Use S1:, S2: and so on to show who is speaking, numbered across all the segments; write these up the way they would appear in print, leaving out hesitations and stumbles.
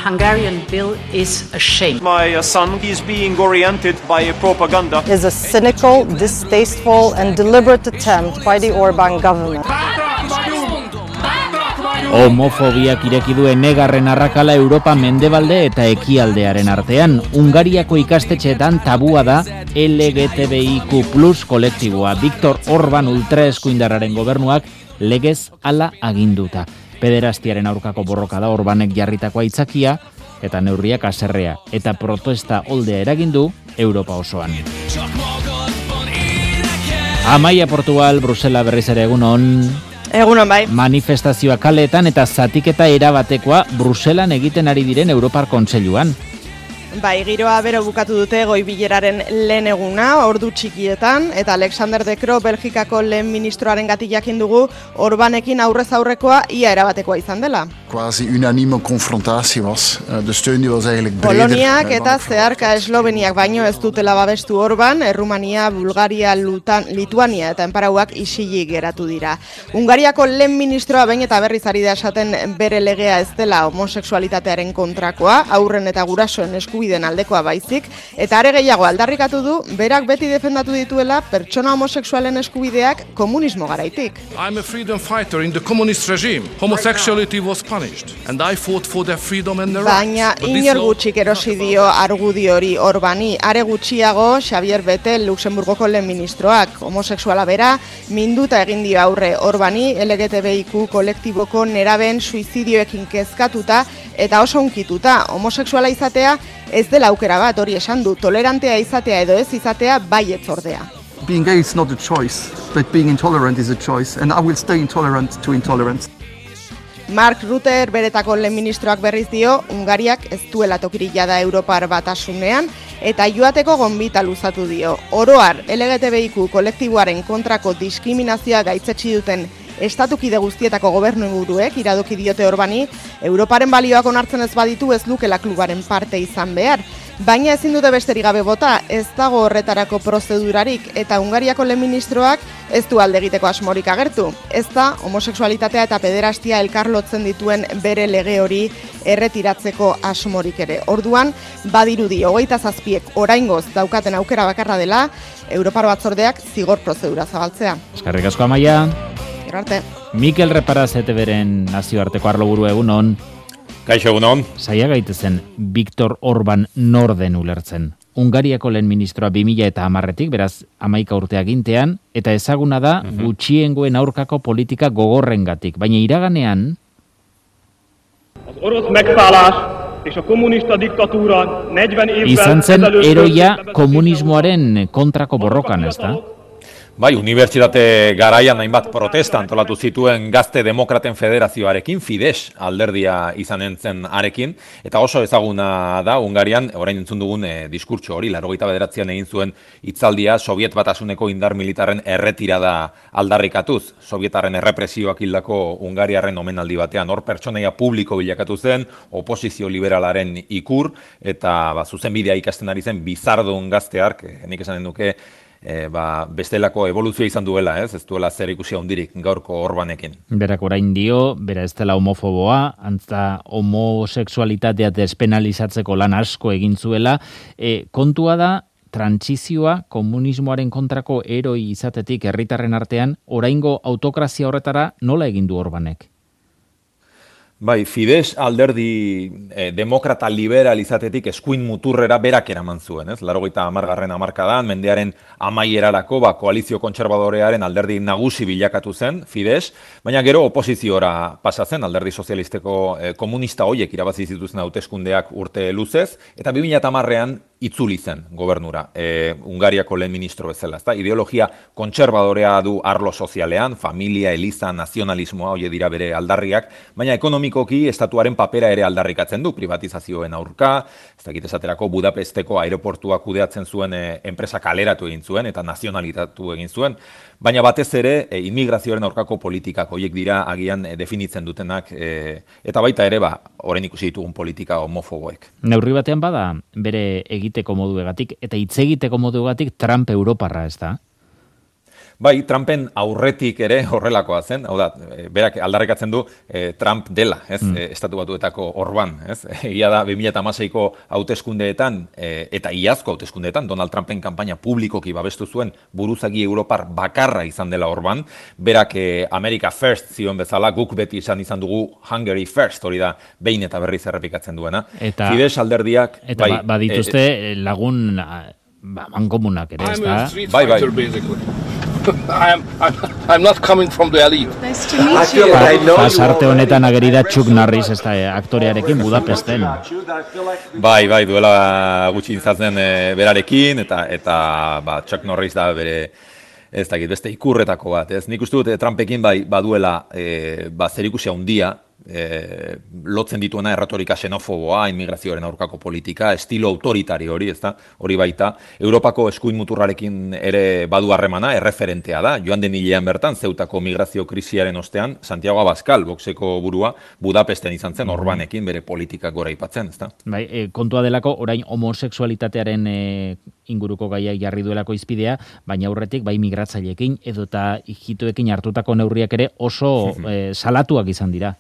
S1: Hungarian bill is a shame.
S2: My son is being oriented by propaganda.
S3: Is a cynical, distasteful and deliberate attempt by the Orbán government.
S4: Homofobiak ireki duen negarren arrakala Europa mendebalde eta ekialdearen artean. Hungariako ikastetxeetan tabua da LGTBIQ+ kolektiboa. Viktor Orbán ultraeskuindarraren gobernuak legez hala aginduta. Pederastiaren aurkako borroka da Orbánek jarritako aitzakia eta neurriak haserrea eta protesta oldea eragindu Europa osoan. Amaia, Portugal, Brusela berriz ere egunon.
S5: Egunon bai.
S4: Manifestazioa kaleetan eta zatiketa erabatekoa Bruselan egiten ari diren Europar Kontseiluan.
S5: Bai, giroa bero bukatu dute goi bileraren lehen eguna, ordu txikietan, eta Alexander De Croo Belgikako lehen ministroaren gatik jakin dugu Orbánekin aurrez aurrekoa ia erabatekoa izan dela.
S6: Quasi unanieme confrontatie was. De steun die was eigenlijk breder.
S5: Poloniak eta zeharka Esloveniak baino ez dutela babestu Orbán, Errumania, Bulgaria, Lituania eta enparauak isilik geratu dira. Hungariako lehen ministroa behin eta berriz ari da esaten bere legea ez dela homosexualitatearen kontrakoa, haurren eta gurasoen eskubideen aldekoa baizik, eta are gehiago aldarrikatu du, berak beti defendatu dituela pertsona homosexualen eskubideak komunismo garaitik.
S7: I'm a freedom fighter in the communist regime. Homosexuality was punished. And I fought for their freedom and their rights.
S5: Baina inor gutxik erosi dio argudio hori Orbáni, are gutxiago Xavier Bettel Luxemburgoko lehen ministroak, homosexuala bera, minduta egin dio aurre Orbáni, LGTBIQ kolektiboko neraben suizidioekin kezkatuta eta oso hunkituta. Homosexuala izatea ez dela aukera bat, hori esan du, tolerantea izatea edo ez izatea baietz ordea.
S8: Being gay is not a choice, but being intolerant is a choice, and I will stay intolerant to intolerance.
S5: Mark Rutte beretako lehen ministroak berriz dio, Hungariak ez duela tokirik jada Europar Batasunean, eta joateko gonbita luzatu dio. Oroar, LGTBIQ kolektiboaren kontrako diskriminazioa gaitzetsi duten estatukide guztietako gobernuburuek iradoki diote Orbáni, Europaren balioak onartzen ez baditu ez lukela klubaren parte izan behar. Baina ezin dute besterik gabe bota, ez dago horretarako prozedurarik eta Hungariako lehen ministroak ez du alde egiteko asmorik agertu. Ez da homosexualitatea eta pederastia elkarlotzen dituen bere lege hori erretiratzeko asmorik ere. Orduan, badirudi 27ek oraingoz daukaten aukera bakarra dela, Europar Batzordeak zigor prozedura zabaltzea.
S4: Eskerrik asko, Amaia.
S5: Arte.
S4: Mikel Reparaz ETVren nazioarteko arloburu egunon.
S9: Kaixo egunon.
S4: Zaila gaitezen Viktor Orbán norden ulertzen. Hungariako lehen ministroa 2010etik, beraz 11 urte agintean, eta ezaguna da gutxiengoen aurkako politika gogorrengatik. Baina iraganean... izan zen eroia komunismoaren kontrako borrokan, ez da?
S9: Bai, unibertsitate garaian hainbat protesta antolatu zituen Gazte Demokraten Federazioarekin, Fidesz alderdia izanen zen arekin, eta oso ezaguna da Hungarian, orain entzun dugun diskurtso hori, 89an egin zuen hitzaldia Sobiet Batasuneko indar militarren erretirada aldarrikatuz, Sovietarren errepresioak hildako Hungariarren omenaldi batean, hor pertsonaia publiko bilakatu zen, oposizio liberalaren ikur, eta zuzenbidea ikasten ari zen bizardun gazteark, nik esanen duke, bestelako evoluzioa izan duela, ez duela zer ikusia hundirik gaurko Orbánekin.
S4: Berak orain dio, bera ez dela homofoboa, antza homosexualitatea despenalizatzeko lan asko egin zuela, kontua da, trantsizioa komunismoaren kontrako eroi izatetik herritarren artean, oraingo autokrazia horretara nola egin du Orbánek?
S9: Bai, Fidesz alderdi demokrata liberal izatetik eskuin muturrera berak eraman zuen, ez? 80. hamarkadan, mendearen amaierarako koalizio kontserbadorearen alderdi nagusi bilakatu zen, Fidesz, baina gero oposiziora pasa zen, alderdi sozialisteko komunista hoiek irabazi zituzten hauteskundeak urte luzez, eta 2010ean itzuli zen gobernura, Hungariako lehen ministro bezala, ezta? Ideologia kontserbadorea du arlo sozialean, familia, eliza, nazionalismoa, hoie dira bere aldarriak, baina ekonomikoki estatuaren papera ere aldarrikatzen du, privatizazioen aurka, ez dakit esaterako Budapesteko aireportua kudeatzen zuen enpresa kaleratu egin zuen eta nazionalitatu egin zuen, baina batez ere immigrazioaren aurkako politikak hoiek dira agian definitzen dutenak, eta baita ere orain ikusi ditugun politika homofoboek.
S4: Neurri batean bada bere egiteko moduegatik eta hitz egiteko moduegatik Trump Europarra, ez da?
S9: Bai, Trumpen aurretik ere horrelakoa zen, hau da, berak aldarrikatzen du Trump dela, ez, Estatu Batuetako Orban, ez, egia da 2016ko hauteskundeetan eta iazko hauteskundeetan Donald Trumpen kanpaina publikoki babestu zuen buruzagi Europar bakarra izan dela Orban, berak America First zioen bezala, guk beti izan dugu Hungary First, hori da, behin eta berriz errepikatzen duena.
S4: Eta,
S9: Fidesz alderdiak...
S4: Eta badituzte lagun mankomunak ere, ez da?
S9: Bai.
S7: I'm not coming from the elite.
S1: Nice to meet you.
S4: Pasarte honetan ageri da Chuck Norris, ez da, aktorearekin Budapesten.
S9: Bai, duela gutxi izatzen berarekin, eta Chuck Norris da bere, ez dakit, beste ikurretako bat. Ez? Nik uste dut Trumpekin baduela zerikusia handia, lotzen dituena erretorika xenofoboa, immigrazioaren aurkako politika, estilo autoritario hori, ezta? Hori baita, Europako eskuin muturrarekin ere badu harremana, erreferentea da. Joan den hilean bertan, Zeutako migrazio krisiaren ostean, Santiago Abascal, Voxeko burua, Budapesten izan zen, Orbanekin bere politikak gora aipatzen, ezta?
S4: Bai, kontua delako, orain homosexualitatearen inguruko gaiak jarri duelako izpidea, baina aurretik bai migratzaileekin edota ijitoekin hartutako neurriak ere oso salatuak izan dira.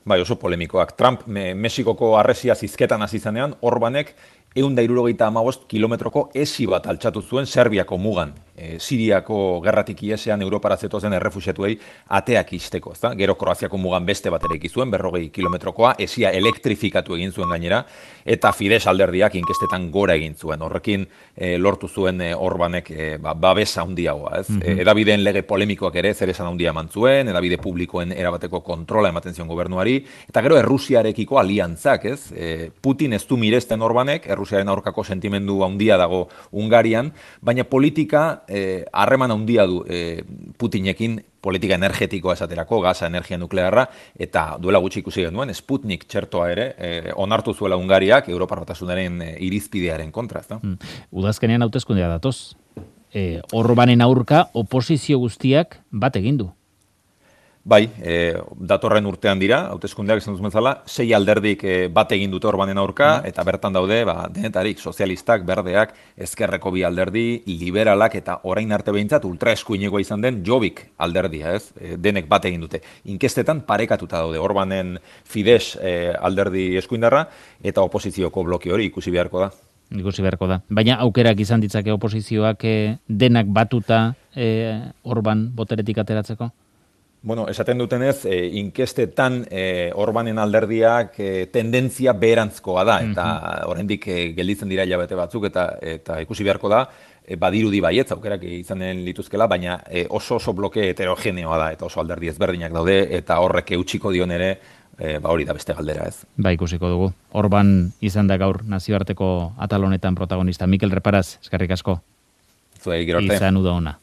S9: Bai, oso polemikoak. Trump Mexikoko harresia zizketan hasi zenean, Orbanek 175 kilometroko esi bat altxatu zuen Serbiako mugan. Siriako gerratik iesean Europara zetozen errefuxiatuei ateak izteko, ezta? Gero Kroaziako mugan beste bat ere zuen, 40 kilometrokoa, esia elektrifikatu egin zuen gainera, eta Fidesz alderdiak inkestetan gora egin zuen. Horrekin lortu zuen Orbanek babesa handiagoa, ez? Edabideen lege polemikoak ere zer esan handia eman zuen, edabide publikoen erabateko kontrola ematen zion gobernuari, eta gero Errusiarekiko aliantzak, ez? Putin ez du miresten Orbanek, Errusiaren aurkako sentimendu handia dago Hungarian, baina politika harreman handia du Putinekin, politika energetikoa esaterako, gaza, energia nuklearra, eta duela gutxi ikusi genuen, Sputnik txertoa ere onartu zuela Hungariak Europar Batasunaren irizpidearen kontra, ezta?
S4: Udazkenean hauteskundea datoz. Orbanen aurka oposizio guztiak bat egin du.
S9: Bai, datorren urtean dira, hauteskundeak esan duzun bezala, 6 alderdik bat egin dute Orbanen aurka, eta bertan daude, denetarik, sozialistak, berdeak, ezkerreko bi alderdi, liberalak, eta orain arte behintzat ultraeskuinekoa izan den Jobbik alderdia, ez? Denek bat egin dute. Inkestetan parekatuta daude, Orbanen Fidesz alderdi eskuindarra, eta oposizioko bloke hori ikusi beharko da.
S4: Baina aukerak izan ditzake oposizioak denak batuta Orban boteretik ateratzeko?
S9: Bueno, esaten dutenez, inkestetan Orbanen alderdiak tendentzia beherantzkoa da, eta oraindik gelditzen dira hilabete batzuk, eta ikusi beharko da, badirudi baietz aukerak izanen lituzkela, baina oso bloke heterogeneoa da, eta oso alderdi ezberdinak daude, eta horrek eutsiko dion ere, hori da beste galdera, ez.
S4: Ba, ikusiko dugu. Orban izan da gaur nazioarteko atal honetan protagonista. Mikel Reparaz, eskerrik asko.
S9: Zuei, gero arte.
S4: Izan uda ona.